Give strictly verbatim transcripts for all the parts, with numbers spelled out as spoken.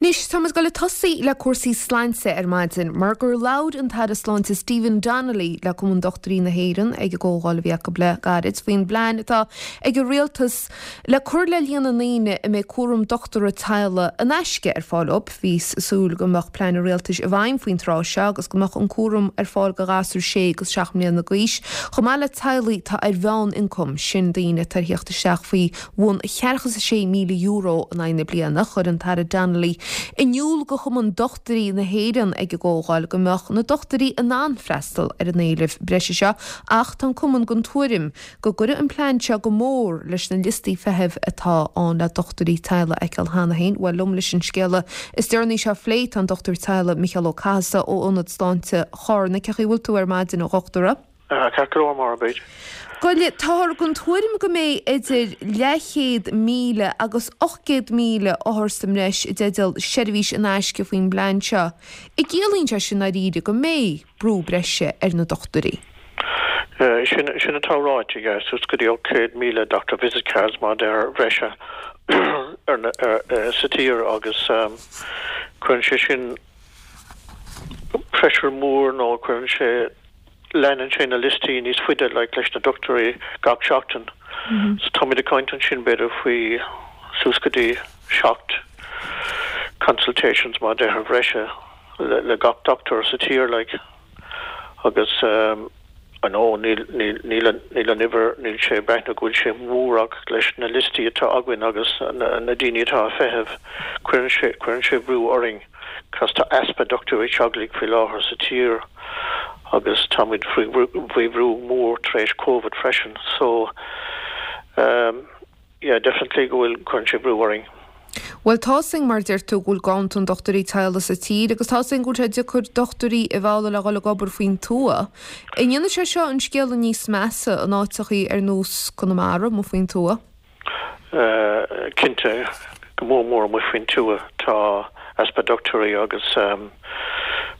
Anois tá muid ag dul ag tosaí le cúrsaí sláinte ar maidin, mar gur labhair an tAire Sláinte Stephen Donnelly le Cumann Dochtúirí na hÉireann ag an gcomhdháil a bhí acu le gairid faoin bplean atá ag an rialtas le cur le líon na ndaoine a mbeidh cúram dochtúra teaghlaigh in aisce ar fáil dóibh. Bhí súil go mbeadh plean an rialtais i bhfeidhm faoin tráth seo agus go mbeadh an cúram ar fáil do ghasúir sé agus seacht mbliana d'aois, chomh maith le teaghlaigh atá ar mheánioncam sin daoine atá ag teacht isteach faoi bhun ceathracha is a sé míle euro in aghaidh na bliana chuir an tAire Donnelly in iúl do Chumann Dochtúirí na hÉireann ag an gcomhdháil go mbeadh na dochtúirí in ann freastal ar an éileamh breise seo ach tá an cumann den tuairim go gcuirfidh an plean seo go mór leis na liostaí feithimh atá ann le dochtúirí teaghlaigh a fheiceáil cheana féin bhuel liom leis an scéal is deireanaí seo a phlé tá an dochtúir teaghlaigh Micheál Ó Cathasaigh ó Ionad Sláinte Chárna cén chaoi a bhfuil tú ar maidin a dhochtúra. Ceart go leor mar bit. Goile táthar den tuairim go mbeidh idir leathchéad míle agus ocht gcéad míle othar sa mbreis i dteideal seirbhís in aisce faoin bplean seo. An gciallaíonn sé sin dáiríre go mbeidh brú breise ar na dochtúirí. Sin sin atá ráite suas go dtí céad míle doctor visit cards mar ar bhreise sa tír agus cuireann sé sin pressure mór nó cuireann sé leanann sé na liostaí níos faide like, leis na dochtúirí gach seachtain. Mm -hmm. So tá ag caint ansin b'fhéidir faoi suas go dtí seacht consultations mar deir bhreise le, le gach doctor sa tír like. agus um, an ó níl níl an uimhir níl sé breithna go bhfuil sé mór leis na liostaí atá againn agus na, na daoine atá ag feitheamh cuireann sé cuireann sé brú orainn cos tá easpa dochtúirí teaghlaigh faoi láthair sa tír agus táimid faoi bhrú mór tar éis COVID freisin so um, yeah definitely go bhfuil cuireann sé brú orainn. Well tá sin mar deir tú go bhfuil ganntan dochtúirí teaghlaigh sa tír agus tá sin go bhfuil sé deacair dochtúirí a mhealladh le dhul ag obair faoin tuath. An ndéanann sé seo an scéal níos measa in áiteachaí ar nós Conamara amuigh faoin tuath? Uh, cinnte go mór mór amuigh faoin tuath tá easpa dochtúirí agus um,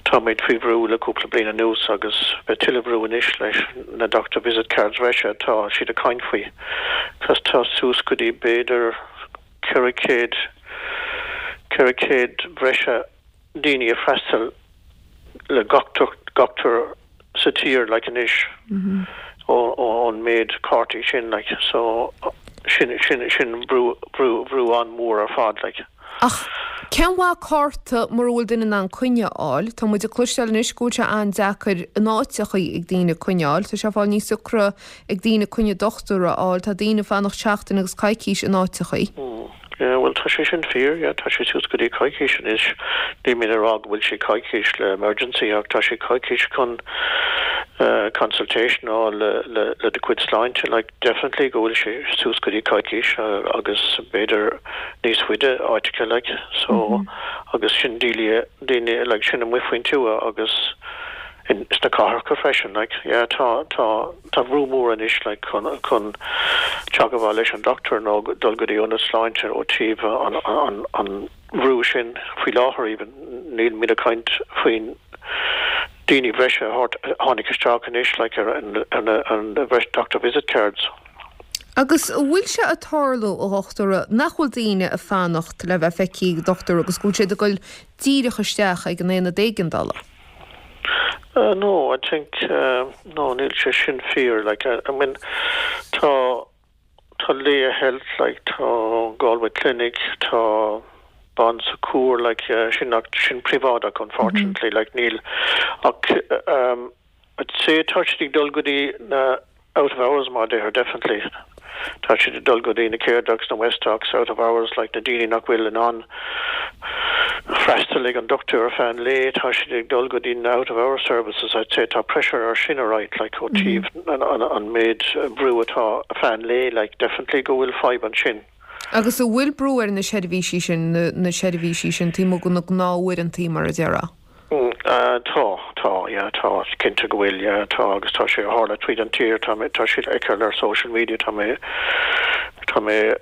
táimid faoi bhrú le cúpla bliain anuas agus beidh tuilleadh brú anois leis na doctor visit cards breise tá siad ag caint faoi. Cos tá suas go dtí b'fhéidir ceithre chéad ceithre chéad breise daoine ag freastal le dochtúir sa tír like anois mm -hmm. ón méid cártaí sin like so sin sin sin brú brú brú an-mhór ar fad like. Ach cén mhaith cárta mura bhfuil duine in ann coinne a fháil, Tá muid ag cloisteáil anois go bhfuil sé an-deacair in áiteachaí ag daoine coinne a fháil, Tá sé fáil níos deacra ag daoine coinne dochtúra a fháil, tá daoine ag fanacht seachtain agus coicís in áiteachaí. Mm. Yeah, well tá sé sin fíor, yeah, tá sé suas go dtí coicís anois ní mé rá go bhfuil sé coicís le emergency ach tá sé coicís chun uh, consultation á le le le do chuid sláinte like definitely go bhfuil sé suas go dtí coicís uh, agus b'fhéidir níos faide áiteacha like so mm -hmm. agus sin daoine daoine like sin amuigh faoin tuath agus in sna cathracha freisin like yeah tá tá tá brú mór anois like chun chun teagmháil leis an doctor nó dul go dtí ionad sláinte ó taobh an an an bhrú sin faoi láthair even níl mé ag caint faoin daoine breise a tháinig isteach anois like ar an an an doctor visit cards. Agus bhfuil sé ag tarlú a dhochtúra nach bhfuil daoine ag fanacht le bheith feicthe ag dochtúir agus go bhfuil siad ag dul díreach isteach ag an aonad éigeandála. Uh, no, I think uh, no níl sé sin fíor like I, I mean tá tá Laya Health like tá Galway Clinic tá Bon Secours like uh, sin nach sin príobháideach unfortunately mm -hmm. like níl ach um I'd say tá siad ag dul go dtí na out of hours mar deir definitely tá siad ag dul go dtí na Caredocs na Westdocs out of hours like na daoine nach bhfuil in ann freastal ag an doctor fan lé tá siad ag dul go dtí na out of hours services I'd say tá pressure ar sin right like ó taobh mm -hmm. an, an, an méid brú atá fan lé like definitely go bhfuil fadhb ansin. Agus an bhfuil brú ar na seirbhísí sin na, na seirbhísí sin taobh amuigh de na gnáthuaireanta mar a déarfá. Mm, uh, tá tá yeah, tá cinnte go bhfuil yeah, tá agus tá sé tharla tríd an tír tá tá sé ag ar social media tá mé tá mé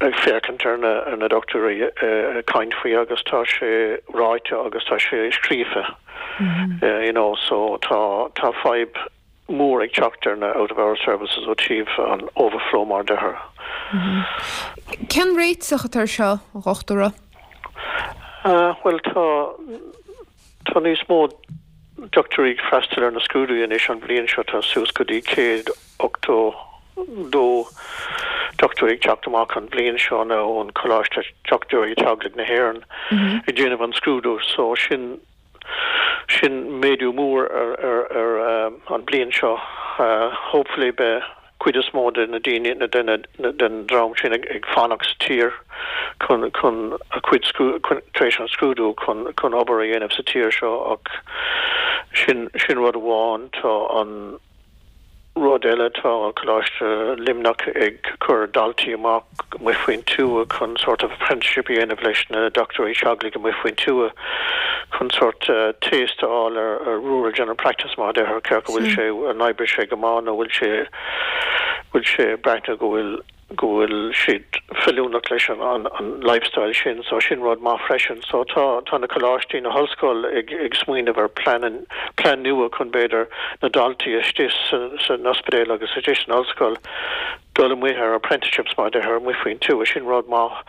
ag féachaint ar na ar na dochtúirí uh, caint faoi agus tá sé ráite agus tá sé scríofa mm -hmm. uh, you know so tá tá fadhb mór ag teacht ar na out of hour services ó taobh an overflow mar deir. Mm -hmm. Cén réiteach atá seo dhochtúra? Uh, Bhuel, tá tá níos mó dochtúirí ag freastal ar na scrúduithe anois an bhliain seo. Tá suas go dtí céad ochtó dó dochtúir ag teacht amach an bhliain seo nó ón Coláiste Dochtúirí Teaghlaigh na hÉireann ag déanamh an scrúdú, so sin sin méadú mór ar ar ar an bliain seo. Hopefully beidh cuid is mó de na daoine na den den dream sin ag ag fanacht sa tír chun chun a cuid tar éis an scrúdú chun chun obair a dhéanamh sa tír seo. Ach sin sin rud amháin. Tá an rud eile, tá Coláiste Luimneach ag cur daltaí amach amuigh faoin tuath chun sort of apprenticeship a dhéanamh leis na dochtúirí teaghlaigh amuigh faoin tuath chun sort uh, taste a fháil ar, ar rural general practice, mar deir cé go bhfuil sé an oibre sé go maith nó bhfuil sé bhfuil sé breathnú go bhfuil go bhfuil siad feiliúnach leis an, an, an lifestyle sin. So sin rud maith freisin. So tá tá na coláistí, na hollscoil ag, ag smaoineamh ar plean plean nua chun b'fhéidir na daltaí istigh san, san ospidéal agus istigh san ollscoil dul amuigh ar apprenticeships, mar deir, amuigh faoin tuath. Sin rud maith.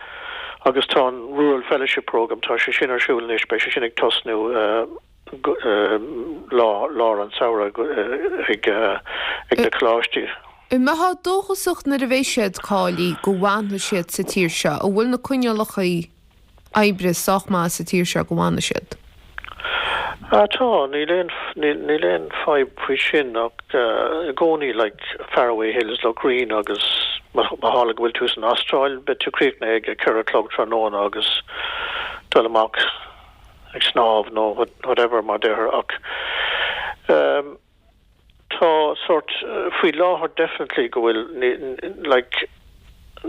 Agus tá an Rural Fellowship Program, tá sé sin ar siúl anois. Beidh sé sin ag tosnú uh, uh, lá lár an samhradh uh, ag uh, ag na coláistí. An mbeifeá dóchasach nuair a bheidh siad cáilithe go bhfanfaidh siad sa tír seo? An bhfuil na coinníollacha oibre sách maith sa tír seo go bhfanfaidh siad? Ah, tá, níl aon níl aon fadhb faoi sin ach uh, i gcónaí, like, Faraway Hills Lough Reen agus má tharla go bhfuil tú san Astráil, beidh tú críochnaithe ag ceithre chlog tráthnóna agus dul amach ag snámh nó whatever, mar deir. Ach um, tá sort uh, faoi láthair definitely go bhfuil, like,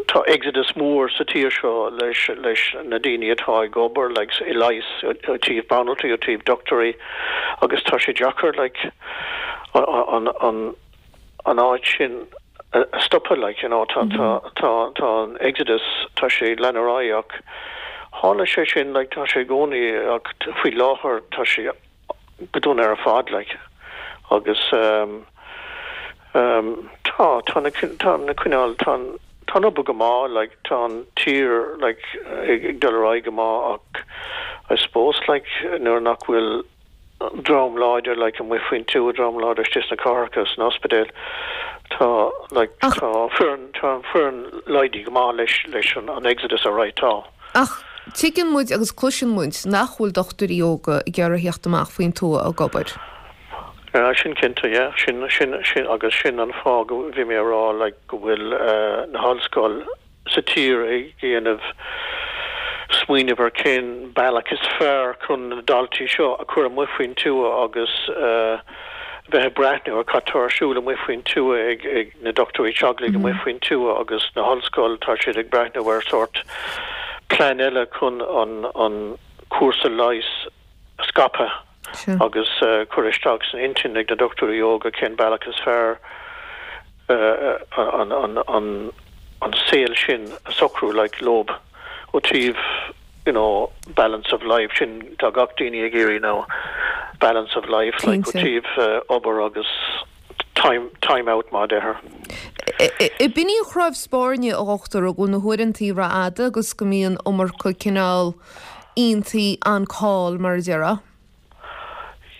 tá exodus mór sa tír seo leis leis na daoine atá ag obair, like, i leigheas, ó taobh banaltraí, ó taobh dochtúirí, agus tá sé deacair, like, an an an áit sin a stopadh, like, you know tá tá tá tá an exodus, tá sé leanúnach ach tharla sé sin, like, tá sé i gcónaí ach faoi láthair tá sé go dona ar fad, like, agus um, um, tá tá na tá na coinníoll tá tá obair go maith, like, tá an tír, like, ag dul ar aghaidh go maith ach I suppose, like, nuair nach bhfuil dream láidir, like, amuigh faoin tuath, dream láidir istigh sna cathracha, san ospidéal, tá, like, tá foireann tá foireann laghdaithe go maith leis leis an, an exodus ar right tá. Ach tuigeann muid agus cloiseann muid nach bhfuil dochtúirí óga ag iarraidh theacht amach faoin tuath ag obair. Ja, sin cinnte, ja, sin sin sin agus sin an fáth go bhí mé rá, like, go bhfuil uh, na hollscoil sa tír ag déanamh smaoineamh ar cén bealach is fearr chun na daltaí seo a chur amuigh faoin tuath agus uh, bheith ag breathnú ar cad tá ar siúl amuigh faoin tuath ag, ag na dochtúirí teaghlaigh mm -hmm. amuigh faoin tuath agus na hollscoil, tá siad ag breathnú ar sort plean eile chun an an cúrsa leighis a scaipeadh agus uh, chur isteach san intinn ag na dochtúirí óga cén bealach is fearr uh, an, an, an, an saol sin a socrú, like, leo ó taobh you know balance of life. Sin tá gach daoine ag iarraidh now, balance of life, like, ó taobh uh, obair agus time time out, mar deir. B'in í an chnámh spairne, a dhochtúir, go bhfuil na huaireanta rófhada agus go mbíonn iomarca cineál iontaí on call, mar a déarfá.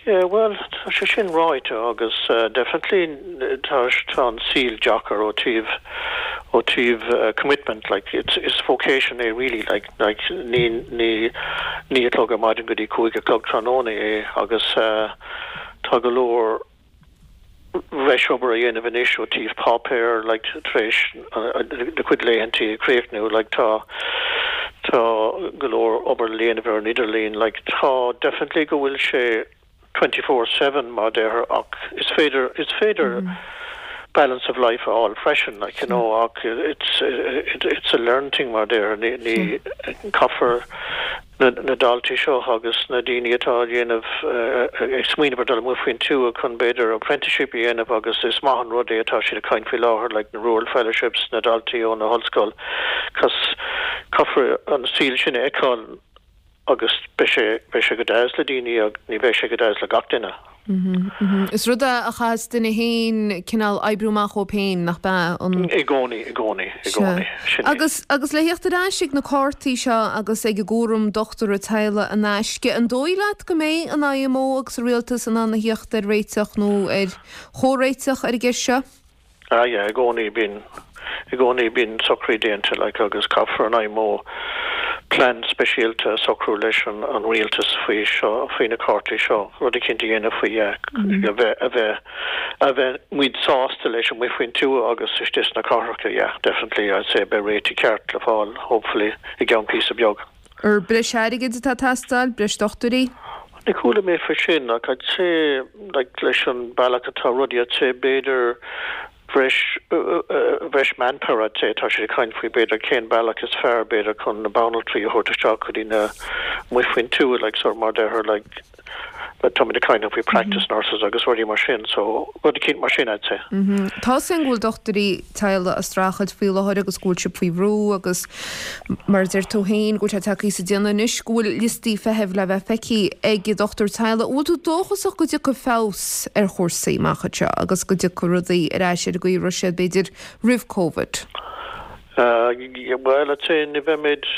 Yeah, well, tá sé sin ráite agus uh, definitely tá tá an saol deacair ó taobh ó taobh uh, commitment, like, it's it's vocation é really, like like ní ní naoi a chlog ar maidin go dtí cúig a chlog tráthnóna é agus uh, tá go leor breis obair a dhéanamh anois ó taobh páipéir, like, tar éis uh, do chuid laethantaí a chríochnú, like, tá tá go leor obair le déanamh ar an idirlíon, like, tá definitely go bhfuil sé twenty-four seven, mar deir, ach is féidir is féidir mm. balance of life fháil freisin, like, you know ach it's it, it's a learning thing, mar deir. Ní ní caithfear na, na daltaí seo agus na daoine atá dhéanamh uh, ag smaoineamh ar dul amuigh faoin tuath chun b'fhéidir apprenticeship a dhéanamh agus is maith an rud é atá siad ag caint faoi láthair, like, na rural fellowships, na daltaí ó na hollscoil, cos caithfear an saol sin a fheiceáil. agus beidh sé beidh sé go deas le daoine ach ní bheidh sé go deas le gach duine. Is rud é a chaithfeas duine féin cineál oibriú amach dhó féin nach bea an. I gcónaí, i gcónaí, i gcónaí. Sin é. Agus agus le theacht ar ais ag na cártaí seo agus ag an gcúram dochtúra teaghlaigh in aisce, an dóigh leat go mbeidh an IMO agus an rialtas in ann a theacht ar réiteach nó ar chomhréiteach ar an gceist seo? Ah yeah, i gcónaí bíonn i gcónaí bíonn socruithe déanta like agus caithfear an IMO plean speisialta a socrú leis an an rialtas faoi seo faoi na cártaí seo rud eicínt a dhéanamh faoi yeah a bheith a bheith a bheith muid sásta leis amuigh faoin tuath agus istigh sna cathracha yeah definitely I'd say beidh réitigh ceart le fáil hopefully i gceann píosa beag. Ar breis airgid atá ag teastáil, breis dochtúirí? Ní chuala mé faoi sin ach I'd say like leis an bealach atá rudaí I'd say b'fhéidir bhreis bhreis manpower I'd say tá siad ag caint faoi b'fhéidir cén bealach is fearr b'fhéidir chun na banaltraí a thabhairt isteach go dtí na amuigh faoin tuath like sort mar deirtear like táimid ag caint faoi practice nurses agus rudaí mar sin so rud eicínt mar sin I'd say. Tá a fhios againn go bhfuil dochtúirí teaghlaigh ag streachailt faoi láthair agus go bhfuil siad faoi bhrú agus mar a deir tú féin go bhfuil sé tagtha sa déanamh anois go bhfuil liostaí feithimh le bheith feicthe ag dochtúir teaghlaigh. Bhfuil tú dóchasach go dtiocfaidh feabhas ar chúrsaí amach anseo agus go dtiocfaidh rudaí ar ais ar an gcaoi a raibh siad b'fhéidir roimh Covid? Uh, well I'd say ní bheimid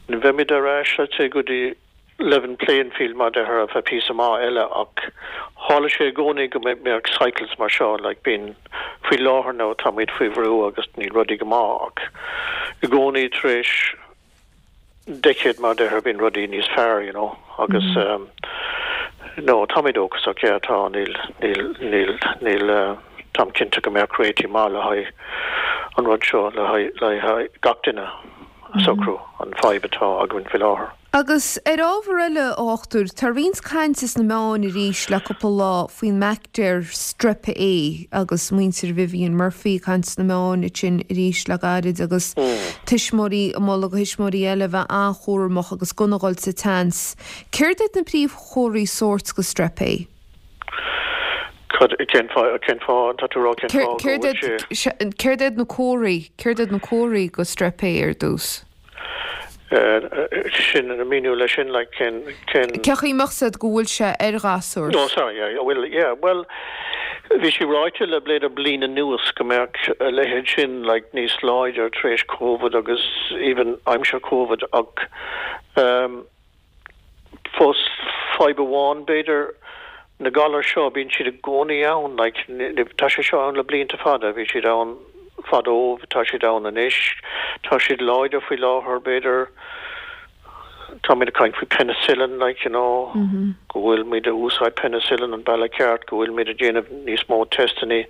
ní bheimid ar ais I'd say go dtí level playing field mar deirtear ar feadh píosa maith eile ach tharla sé i gcónaí go mbeadh cycles mar seo like bíonn faoi láthair nó táimid faoi bhrú agus níl rudaí go maith ach i gcónaí tar éis decade mar deirtear bíonn rudaí níos fearr you know agus mm -hmm. um, no táimid dóchasach yeah, tá níl níl níl níl uh, táim cinnte go mbeadh réitigh maith le haghaidh an rud seo le haghaidh le haghaidh gach duine a socrú an fadhb atá againn faoi láthair. Agus ar ábhar eile a dhochtúir, tá roinnt cainte sna meáin arís le cúpla lá faoin mbaictéar Strep A agus muintir Vivian Murphy caint sna meáin sin arís le gairid agus tuismitheoirí ag moladh do thuismitheoirí eile bheith an-chúramach agus gan a dhul sa tseans. Céard iad na príomhchomharthaí sóirt go Strep A? Cad cén fáth cén fáth tá tú rá cén fáth go bhfuil sé Céard iad na comharthaí, céard iad na comharthaí go Strep A ar dtús? sin an míniú leis sin like cén cén Cén chaoi a mbeadh a fhios agat go bhfuil sé ar ghasúr? No sorry yeah well yeah well bhí sé ráite le b'fhéidir bliain anuas go mbeadh a leithéid sin like níos láidir tar éis COVID agus even aimsir COVID ach um, fós fadhb amháin b'fhéidir na galair seo bíonn siad i gcónaí ann like tá sé seo ann le blianta fada bhí siad ann fadó tá siad ann anois tá siad láidir faoi láthair b'fhéidir táimid ag caint faoi penicillin like you know mm -hmm. go bhfuil muid a úsáid penicillin an bealach ceart go bhfuil muid ag déanamh níos mó testanna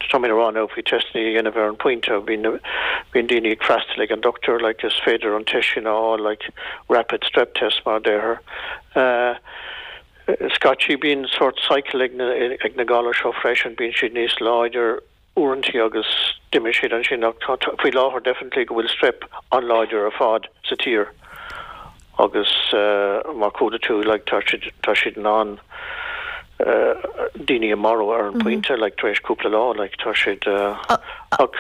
táimid ag rá faoi testanna a dhéanamh ar an pointe bíonn bíonn daoine ag freastal ag an doctor like is féidir an test sin á like rapid strep test mar deirtear uh, scaití bíonn sort cycle ag na, ag na galair seo freisin bíonn siad níos láidir uaireanta agus d'imigh siad ansin ach faoi láthair definitely go bhfuil strep an-láidir ar fad sa tír agus uh, mar chuala tú like, tá siad tá siad in ann uh, daoine a mharú ar an mm -hmm. pointe like, tar éis cúpla lá like, tá siad uh, ach,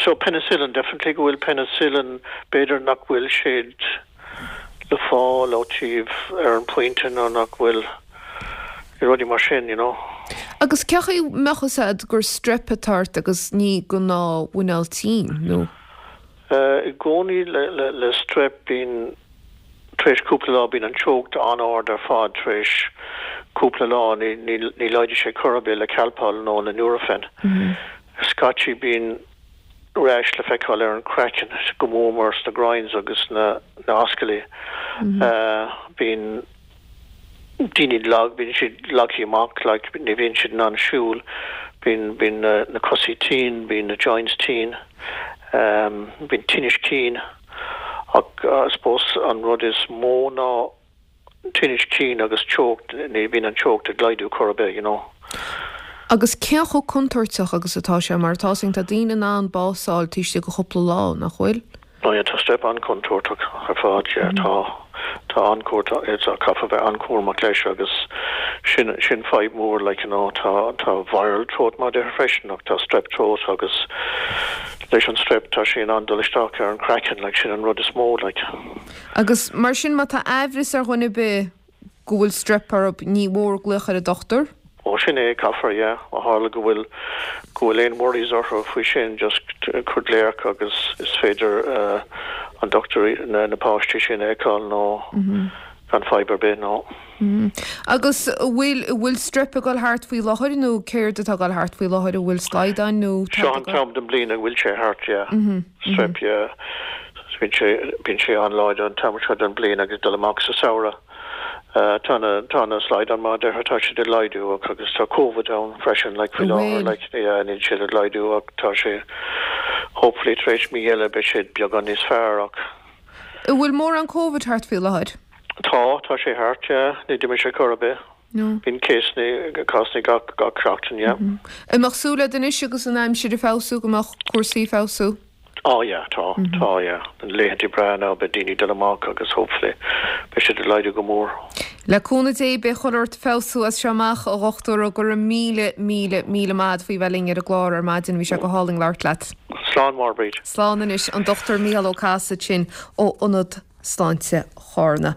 so penicillin definitely go bhfuil penicillin b'fhéidir nach bhfuil siad le fáil ó taobh ar an pointe nó nach bhfuil rudaí mar sin you know. Agus cén chaoi a mbeadh a fhios agat gur strep atá ort agus ní gnáthmhuineál tinn nó? Uh, I gcónaí le, le, le strep bíonn tar éis cúpla lá bíonn an teocht an-ard ar fad tar éis cúpla lá ní, ní, ní laghdaíonn sé chor ar bith le Calpol nó le Nurofen. Mm -hmm. Scaití bíonn rash le feiceáil ar an craiceann go mór mór sna groins agus na na ascaillí. Mm -hmm. uh, bíonn daoine lag bíonn siad lagtha amach like, ní bhíonn siad in ann siúl bíonn bíonn na, na cosaí tinn bíonn na joints tinn um, bíonn tinneas cinn ach uh, I suppose an rud is mó ná tinneas cinn agus teocht ní bhíonn an teocht ag laghdú chor ar bith you know. Agus cé chomh contúirteach agus atá sé mar tá tá daoine in ann bás a fháil taobh istigh de chúpla lá nach bhfuil? No yeah, tá strep an-chontúirteach ar fad yeah, mm. tá tá an-chontúirteach caithfidh bheith an-chúramach leis agus sin sin fadhb mór like you know, tá tá viral throat mar deirtear freisin ach tá strep throat agus leis an strep tá sé in ann dul isteach ar an craiceann like sin an rud is mó like. Agus mar sin má tá aimhreas ar dhuine ar bith go bhfuil strep orthu ní mór glaoch ar an dochtúir? Ó sin é caithfear yeah ó tharla go bhfuil go bhfuil aon worries orthu faoi sin just cur glaoch agus is féidir uh, an dochtúir na, na páistí sin a fheiceáil nó mm -hmm. gan fadhb ar bith nó. Mm. Agus bhfuil bhfuil strep ag dul thart faoi láthair nó céard atá ag dul thart faoi láthair a bhfuil slaghdán nó Seo an t-am den bliain a bhfuil sé thart yeah. mm -hmm. strep yeah. Bíonn sé bíonn sé an-láidir an t-am seo den bliain agus dul amach sa samhradh. Uh, tá tá na slaghdán mar deir tá sé ag laghdú agus tá COVID ann freisin like faoi láthair like yeah, níl sé ag laghdú ach tá sé hopefully tar éis mí eile beidh sé beagán níos fearr ach. Bhfuil mórán COVID thart faoi láthair? Tá tá sé thart ní d'imigh sé chor ar bith. No. Bíonn céasanna cásanna gach gach seachtain yeah. Mm -hmm. An mbeadh súil anois agus an aimsir ag feabhsú go mbeadh cúrsaí ag feabhsú? Oh yeah, tá mm -hmm. tá yeah. An laethanta breá ná beidh daoine dul amach agus hopefully beidh siad ag laghdú go mór. Le cúnamh Dé beidh chuile shórt ag feabhsú as seo amach a dhochtúir go raibh míle míle míle maith agat faoi bheith linn ar an gclár ar maidin bhí sé go hálainn labhairt leat. Slán mar Bríd. Slán anois an Dr Mícheál Ó Cathasaigh sin ó Ionad Sláinte Chárna.